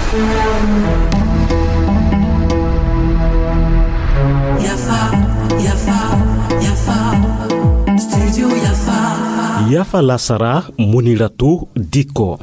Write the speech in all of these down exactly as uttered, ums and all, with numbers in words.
Yafa, yafa, yafa. Studio Yafa. Yafa lasara, Muniratu Dikko.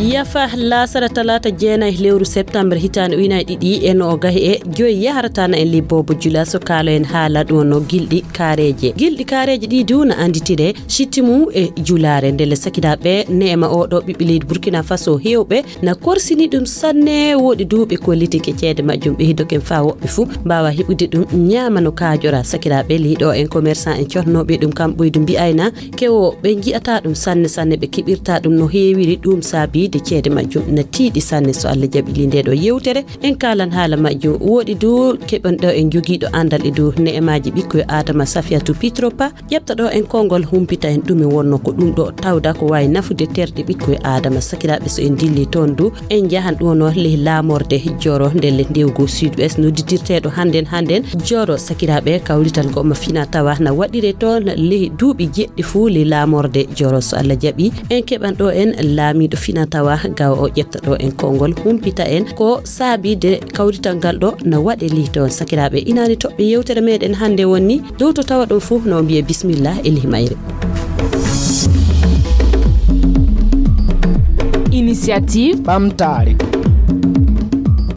Yafa lasara talaata jeenay lewru septembre hitaande ujunaaji ɗiɗi e noogahi e joyi yaharata na en libboobo jula so kaalo en haala ɗum no gilɗi kaareeje. Gilɗi kaareeje ɗi du na annditire sittimu e julaare ndele sakiraaɓe neema o ɗo ɓiɓɓe leydi Burkina Faso heewɓe na korsini ɗum sanne, woɗi duuɓi ko litike ceede majjum ɓe hiddoken faa woɓɓe fuu mbaawa heɓude ɗum ñaama no kaajora. Sakiraaɓe liiɗo en commerçant en cohnooɓe ɗum kam ɓoydu mbi'ayna kewo ɓe nji'ata ɗum sanne sanne, ɓe keɓirta ɗum no heewiri, ɗum saabiide ceede majjum na tiiɗi sanne. So Allah jaɓi li nde ɗo yewtere en kaalan haala majjum. Woɗi du keɓen ɗo en jogiiɗo anndal e dow ne'emaaji ɓikkoy Adama Safiyatu Pitropa. Ƴefta ɗo en konngol humpita en ɗume wonno ko ɗum ɗo tawda ko waawi nafude terɗe ɓikkoy Aadama. Sakiraaɓe, so en dilli toon du, en njahan ɗo no ley laamorde Joro ndelle ndewgo Sud Ouest nodditirteeɗo hannden hannden Joro. Sakiraaɓe, kawrital ngo ma fina tawa na waɗire toon ley duuɓi jeɗɗi fuu ley laamorde Joro. So Allah jaɓi, en keɓan ɗo en laamiiɗo fina tawa gawa o ƴefta ɗo en konngol humpita en ko saabiide kawrital ngal ɗo na waɗe ley toon. Sakiraaɓe, inaani toɓɓe yewtere meɗen hannde wonni dow to tawa ɗum fof no mbiye bismillah e lihi mayre. Initiative ɓamtaare.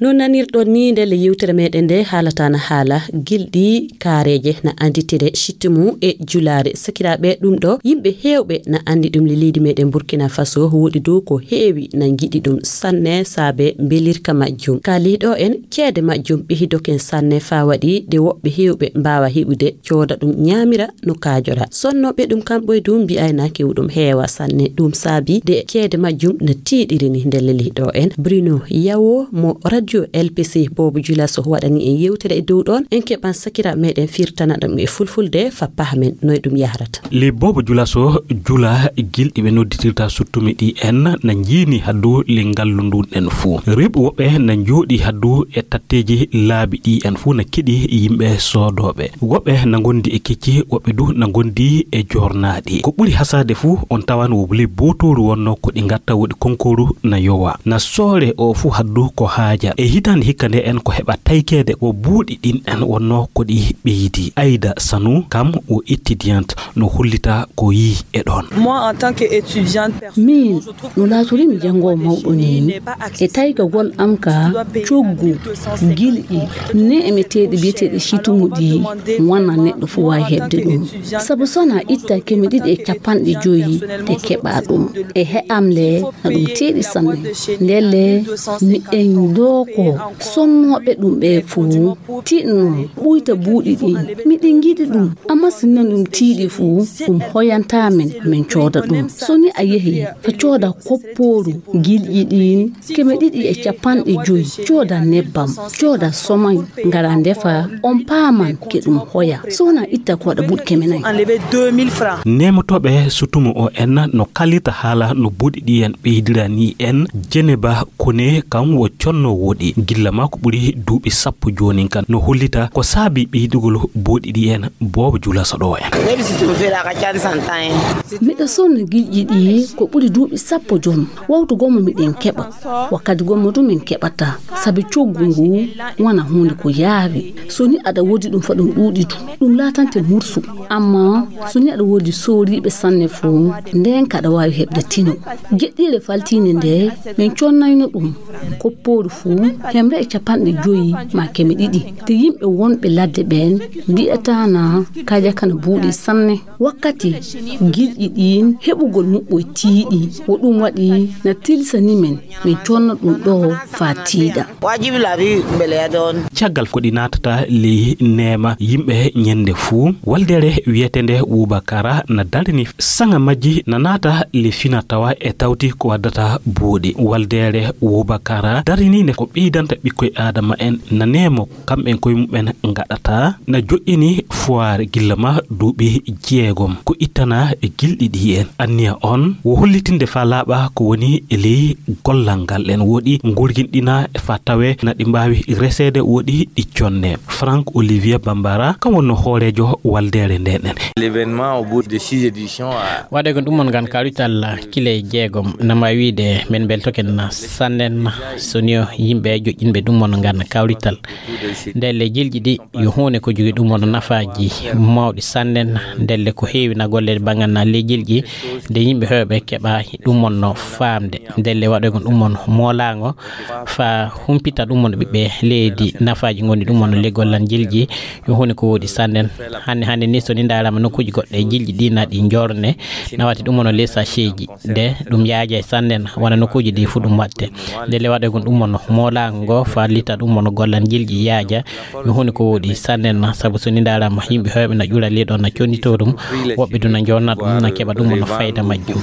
No nanirɗon ni ndelle yewtere meɗen nde haalata na haala gilɗi kaareeje na annditire sittimu e julaare. Sakiraaɓe, ɗum ɗo yimɓe heewɓe na anndi ɗum le leydi meɗen Burkina Faso, woɗi dow ko heewi na njiɗi ɗum sanne saabe mbelirka majjum. Kaali ɗo en ceede majjum ɓe hidoken sanne faa waɗi de woɓɓe heewɓe mbaawa heɓude cooda ɗum ñaamira no kaajora. Sonnooɓe ɗum kamɓe du mbi'ayna kew ɗum heewa sanne. Ɗum saabi de ceede majjum no tiiɗiri ni nde leli ɗo en. Bruno Yawo mo radio L P C Bobo Julaso waɗani en yewtere e dow ɗon. En keɓan sakira meɗen firtana ɗum e fulfulde fa pahmen noy ɗum yahrata. Le Bobo Julaso jula gilɗi ɓe nodditirta suttumi ɗi en na njiini haddu le ngallu ndun en fuu. Rewɓe woɓɓe na njooɗi haddu e tatteeji laabi ɗi en fuu na keɗi yimɓe soodooɓe. Woɓɓe na ngondi e kecci, woɓɓe du na ngondi e joornaaɗi. Ko ɓuri hasaade fuu, on tawan wo le bootooru wonno ko ɗi ngatta woɗi konkooru na yowa. Na soore o fuu haddu ko haaja. E hitaande hikka nde en ko heɓa taykeede wo buuɗi ɗin en wonno ko ɗi ɓeydi. Ayda Sanu kam wo étudiante no hollita ko yii e ɗon. Moi, en tant que étudiante, personnellement, min je trouve no laatori mi janngo mawɗo ni e taygagol am ka coggu gilɗi ne'emeteeɗi biyeteeɗi situmuɗi wana neɗɗo fof waawi heɓde ɗum. Sabu so na itta keme ɗiɗi e capanɗe joyi ɗe keɓa ɗum e he'am le na ɗum tiiɗi sanne. Ndelle miɗen ɗo ko sonnooɓe ɗum ɓe fof tiɗno ɓuyta buuɗi ɗin. Miɗen ngiɗi ɗum, amma si non ɗum tiiɗi fof ɗum hoyanta men, min cooda ɗum. So ni a yehi fa cooda koppooru gilɗi ɗin keme ɗiɗi e capanɗe joyi, cooda nebbam, cooda somay, ngara ndefa, on paaman ke ɗum hoya. So wona itta ko waɗa buuɗi keme nayi. Enlever deux mille francs. Nemotooɓe sutumo o en no kalita haala no buuɗi ɗi en ɓeydira ni en. Jeneba Kone kam wo conno woɗi gilla ma ko ɓuri duuɓi sappo joonin kan no hollita ko saabi ɓeydugol buuɗi ɗi en. Bobo Julaso ɗo en. Miɗo sonna gilɗi ɗi ko ɓuri duuɓi sappo joon. Wawtu gommo miɗen keɓa, wakkati gommo du min keɓata, sabi coggu ngu wona huunde ko yaawi. So ni aɗa woodi ɗum fa ɗum ɗuuɗi du, ɗum laatante mursu. Amma so ni aɗa woodi sooriiɓe sanne fof, nden kaɗa waawi heɓde tino. Geɗɗiire faltiinde nde min connayno ɗum, koppooru fof hemre e capanɗe joyi ma keme ɗiɗi. Te yimɓe wonɓe ladde ɓeen mbi'ataana kaaja kana buuɗi sanne. Wakkati gilɗi ɗin heɓugol muɓɓoy tiiɗi, wo ɗum waɗi na tilsani men, min conna ɗum ɗo faa tiiɗa. Wajibi laabi beleya ɗon. Caggal ko ɗi naatata ley neema yimɓe ñande fuu. Waldeere wiyeteende Wubakara na darini saŋa majji na naata le fina tawa e tawti ko waddata buuɗi. Waldeere Wubakara darini nde ko ɓeydanta ɓikkoy Aadama en na neemo kamɓen koye mumen ngaɗata, na joƴƴini foire gilla ma duuɓi jeegom. Ko ittana e gilɗi ɗi en. Anniya on wo hollitinde faa laaɓa ko woni e ley gollal ngal ɗen woɗi ngurginɗina faa tawe na ɗi mbaawi reseede woɗi ɗi conne. Franck Olivier Bambara, kam wonno hooreejo waldeere nden ɗen. L'événement au bout de six éditions a Waɗoygol ɗum on ngan kawrital kile jeegom, nama wiide men mbeltoken sannen, so ni o yimɓe joƴƴinɓe ɗum on ngan kawrital. Ndelle jilji ɗi yo huunde ko jogi ɗum on nafaaji mawɗi sannen. Ndelle ko heewi na golle banngal na ley jilji, nde yimɓe heewɓe keɓa ɗum on no faamde. Ndelle waɗoygol ɗum on moolaango, faa humpita ɗum on ɓiɓɓe leydi nafaaji ngoni ɗum on ley gollal jilji, yo huunde ko woodi sannen. Hannde, hannde ni, so ni ndaarama nokkuuji goɗɗe, jilji ɗi na ɗi jorne, na watti ɗum on ley sachetji, de ɗum yaaja e sannen, wona nokkuuji ɗi fu ɗum watte. Ndelle waɗoygol ɗum on moolaango ngo, faa lita ɗum on gollal jilji yaaja, yo huunde ko woodi sannen, sabu so ni ndaarama yimɓe heewɓe na ƴura ley ɗon na connitoo ɗum, woɓɓe du na jorna ɗum, na keɓa ɗum on fayda majjum.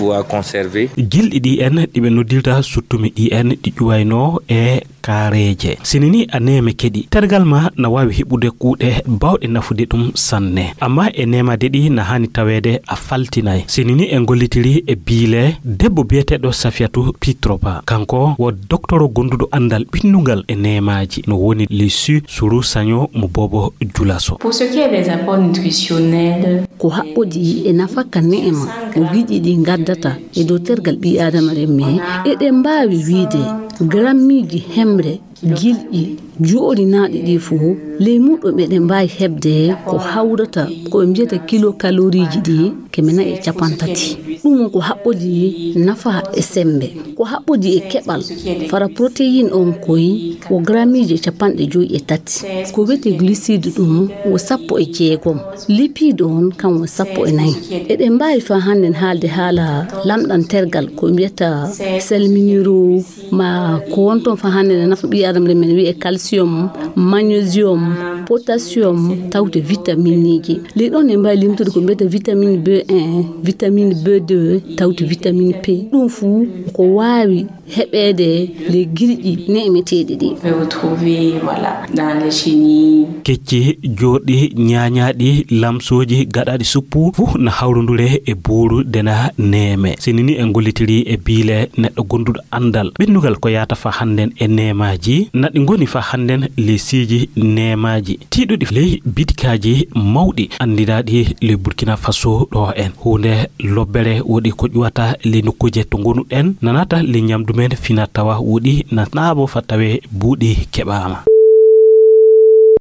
Gilɗi ɗi en, ɗi ɓe noddirta suttumi ɗi en, ɗi ƴuwaynoo e kaareeje. Sini ni a neeme keɗi, tergal ma na waawi heɓude kuuɗe baawɗe nafude ɗum sanne. Amma e neemaade ɗi na haani taweede a faltinay. Sini ni en gollitiri e biile debbo biyeteeɗo Safiyatu Pitropa. Kanko wo doktoro gonduɗo anndal ɓinnungal e neemaaji, no woni Lissu Suru Saño mo Bobo Julaso. Pour ce qui est des apports nutritionnels, ko haɓɓodii e nafaka neema mo giɗi ɗi ngaddata e dow tergal ɓii Aadama remme, eɗen mbaawi wiide grammiiji hemre gilƴi jooɗinaaɗi ɗi fof, ley muɗum eɗen mbaawi heɓde ko hawrata ko ɓe mbiyata kilo kaloriiji ɗi keme nayi e cappanɗe tati. Ɗum ko haɓɓodii nafa e semmbe. Ko haɓɓodii e keɓal fara protéine on koy ko grammiiji cappanɗe joyi e tati. Ko wiyetee glucide ɗum wo sappo e jeegom. Lipide on kam wo sappo e nayi. Eɗen mbaawi faa hannden haalde haala lamɗam tergal ko mbiyata sel minéraux, ma ko won toon faa hannden ne nafa ɓii Aadama, men wiyee calcium, magnésium, potassium, tawte vitamineeji. Ley ɗon en mbaawi limtude ko mbiyata vitamine B un, vitamine B deux, tawte vitamine P. Ɗum fuu ko waawi heɓeede ley gilƴi neemeteeɗi ɗi. Vous pouvez retrouver, voilà, dans les chenilles. Kecci, jooɗi, ñaañaaɗi, lamsooji, gaɗaaɗi suppu, fof na hawrondure e buuru dena neeme. Sini ni en gollitiri e biile neɗɗo gonduɗo anndal ɓinndugal ko yaata faa hannden e neemaaji, na ɗi ngoni faa hannden ley siiji neemaaji tiiɗuɗi ley bitikaaji mawɗi anndinaaɗi ley Burkina Faso ɗo en. Huunde lobbere woɗi ko ƴuwata ley nokkuuje to ngonuɗen, nanata ley ñamdu men fina tawa woɗi na naaɓo faa tawe buuɗi keɓaama.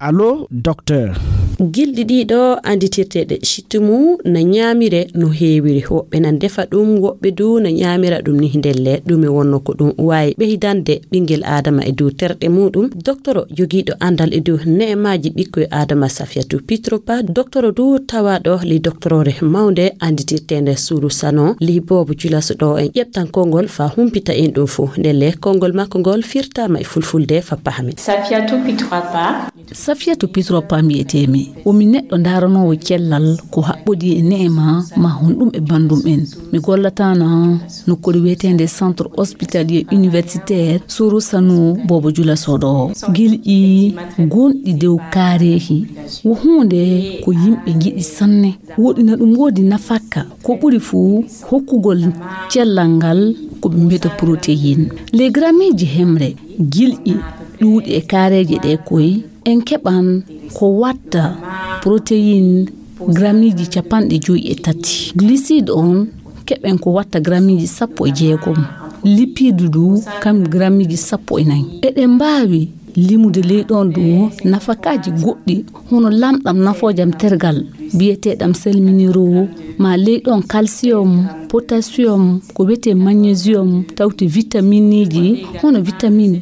Allo, docteur. Gilɗi ɗiɗo annditirteeɗe sittumu na ñaamire no heewiri. Woɓɓe nan defa ɗum, woɓɓe du na ñaamira ɗum ni ndelle. Ɗume wonno ko ɗum waawi ɓeydande ɓinngel Aadama e dow terɗe muɗum? Doktoro jogiiɗo anndal e dow neemaaji ɓikkoy Aadama Safiyatu Pitropa, doktoro du tawaaɗo ley doktoroore mawnde annditirteende Suru Sanon, ley Boobo Julaso ɗo en ƴeɓtan konngol faa humpita en ɗum fof. Ndelle konngol makko ngol firtaama e fulfulde faa pahamen. Safiyatu Pitropa. Safiyatu Pitropa mbiyetee-mi. Wo mi neɗɗo ndaaranoowo cellal ko haɓɓodii e neema ma honɗum e banndum en. Mi gollataana nokkuure wiyeteende Centre Hospitalier Universitaire Suru Sanon Boobo Julaso ɗo. Gilƴi gonɗi dow kaareehi wo huunde ko yimɓe ngiɗi sanne. Woɗi na ɗum woodi nafaka, ko ɓuri fuu hokkugol cellal ngal ko ɓe mbiyata protéine. Ley grammiiji hemre gilƴi ɗuuɗi e kaareeje ɗe koy, en keɓan ko watta protéine grammiiji cappanɗe joyi e tati. Glucide on keɓen ko watta grammiiji sappo e jeegom. Lipide du kam grammiiji sappo e nayi. Eɗen mbaawi limude ley ɗon du nafakaaji goɗɗi hono lamɗam nafoojam tergal biyeteeɗam sel minéraux, ma ley ɗon calcium, potassium, ko wiyetee magnésium, tawti vitamineeji hono vitamine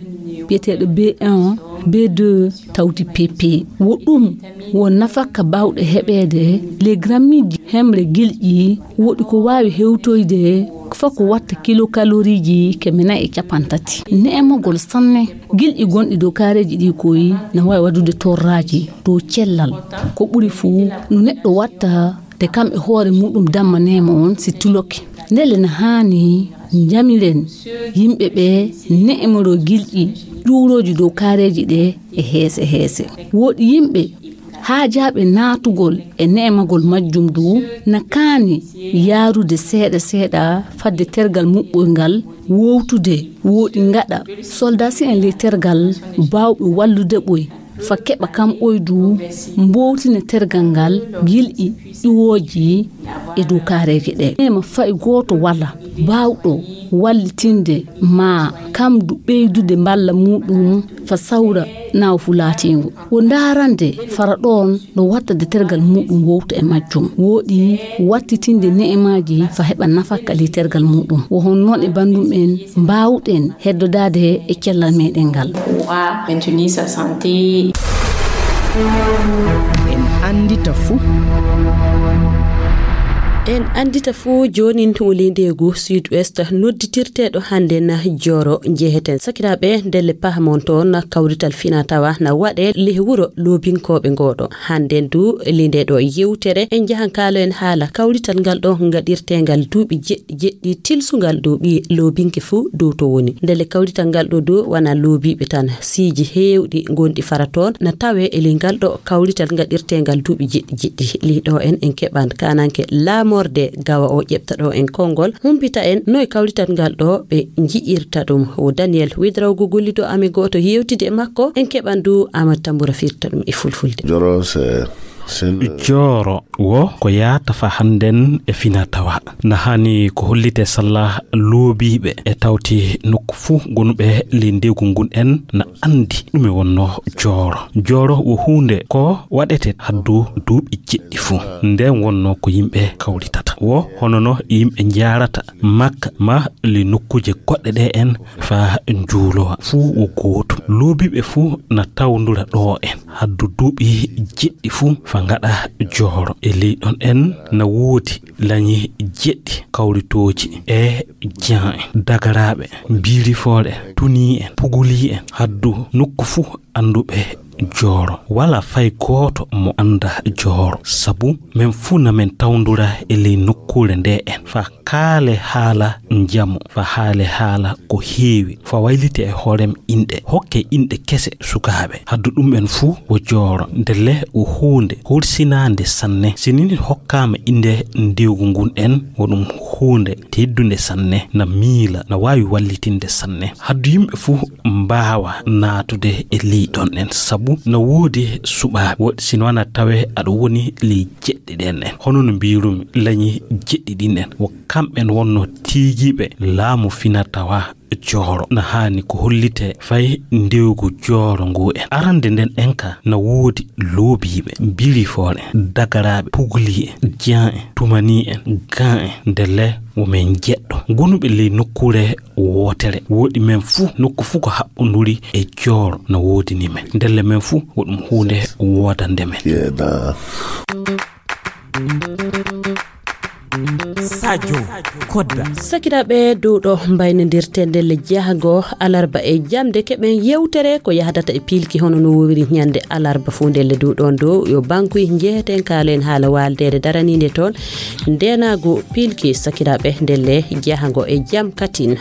biyeteeɗo B un, B deux, tawti P P. Wo ɗum wo nafaka baawɗe heɓeede ley grammiiji hemre gilƴi, woɗi ko waawi hewtoyde faa ko watta kilokaloriiji keme nayi e cappanɗe tati. Neemagol sanne, gilƴi gonɗi dow kaareeji ɗi koy na waawi waɗude torraaji dow cellal. Ko ɓuri fuu no neɗɗo watta te kam e hoore muɗum damma neema on si tuloke. Ndelle na haani njamiren yimɓe ɓe ne'emoroo gilƴi ƴuurooji dow kaareeji ɗe e heese heese. Woodi yimɓe haajaaɓe naatugol e ne'emagol majjum du na kaani yaarude seeɗa seeɗa fadde tergal muɓɓoyngal wowtude. Woodi ngaɗa soldasi'en ley tergal baawɓe wallude ɓoy fa keɓa kam ɓoydu mbowtina tergal ngal gilƴi ƴuwooji e dow kaareeje ɗe. Ema fay gooto wala baawɗo wallitinde ma kam du ɓeydude mballa muuɗum fa sawra naaw fu laatiingo. Wo ndaarande fara ɗoon no watta de tergal muuɗum wowta e majjum. Wooɗi wattitinde ne'emaaji fa heɓa nafakka ley tergal muuɗum. Wo hon noon e banndum en mbaawɗen heddodaade e cellal meɗen ngal. Wa maintenir sa santé. En anndita fuu. En anndita fuu joonin wuli ndeegu Sud Ouest nodditirteeɗo hannden jooro njeheten. Sakiraaɓe, ndelle pahamon toon kawrital fina tawa na waɗe leh wuro loobinkooɓe ngooɗo. Hannden du, ley nde ɗo yewtere, en njahan kaalo en haala kawrital ngal ɗo ngaɗirteengal duuɓi jeɗɗi jeɗɗi tilsungal dow ɓiye loobinke fuu dow to woni. Ndelle kawrital ngal ɗo dow wana loobiiɓe tan. Siiji heewɗi ngonɗi fara toon na tawe e ley ngal ɗo kawrital ngaɗirteengal duuɓi jeɗɗi jeɗɗi. Ley ɗo en, en keɓan kaananke laamorde gawa o ƴeɓta ɗo en konngol, humpita en noy kawrital ngal ɗo ɓe nji'irta ɗum. O Daniel Widraw go gollido amin gooto yewtide e makko, en keɓan du Amadou Tambura firta ɗum e fulfulde. Joro, c'est, c'est le- Jooro wo ko yaata fa hannden e fina tawa. Na hani ko hollite salla loobiiɓe e tawti nokku fuu gonuɓe ley ndeegu ngun en na anndi ɗume wonno jooro. Jooro wo huunde ko waɗete haddu duuɓi jeɗɗi fuu. Nden wonno ko yimɓe kawritata. Wo hono no yimɓe njaarata Makka ma ley nokkuuje goɗɗe ɗe en fa njuulowa fuu wo gootum. Loobiiɓe fuu na tawndura ɗo en. Haddu duuɓi jeɗɗi fuu fa ngaɗa jooro. E ley ɗon en na woodi lañi jeɗɗi kawritooji e jan en, dagaraaɓe, mbiirifooɗe, tunii en, pugulii en. Haddu nokku fuu annduɓe jooro. Wala fay gooto mo annda jooro. Sabu men fuu na men tawndura e ley nokkuure nde en. Fa kaale haala njamu, fa haale haala ko heewi, fa waylite e hoorem inɗe, hokke inɗe kese sukaaɓe. Haddu ɗum en fuu wo jooro, ndelle wo huunde horsinaande sanne. Si nin hokkaama innde ndewgu ngun en, wo ɗum huunde teddunde sanne, na miila, na waawi wallitinde sanne. Haddu yimɓe fuu mbaawa naatude e ley ɗon en, sabu na woodi suɓaaɓe. Wo-, si no wana tawe aɗa woni ley jeɗɗi ɗen en. Hono no mbiirumi, lañi jeɗɗi ɗin en, wo kamɓen wonno tiigiiɓe laamu fina tawa jooro. Na haani ko hollite fay ndewgu jooro ngu en. Arande nden en ka na woodi loobiiɓe, mbirifoore, dagaraaɓe, pugli en, jan en, tumani en, gan en, ndelle wo men jeɗɗo. Gonuɓe ley nokkuure wootere. Woɗi men fuu, nokku fuu ko haɓɓonduri e jooro no woodini men. Ndelle men fuu, wo ɗum huunde woodande men. Sadio Kodda. Sakiraaɓe, dow ɗo mbaynodirten ndelle jahango alarba e jamde, keɓen yewtere ko yahdata e piilki hono no wowiri ñande alarba fuu ndelle dow ɗon dow. Yo bankuy njeheten kaalen haala waaldeede daraniinde toon. Ndeenaagu piilki sakiraaɓe ndelle jahango e jam katin.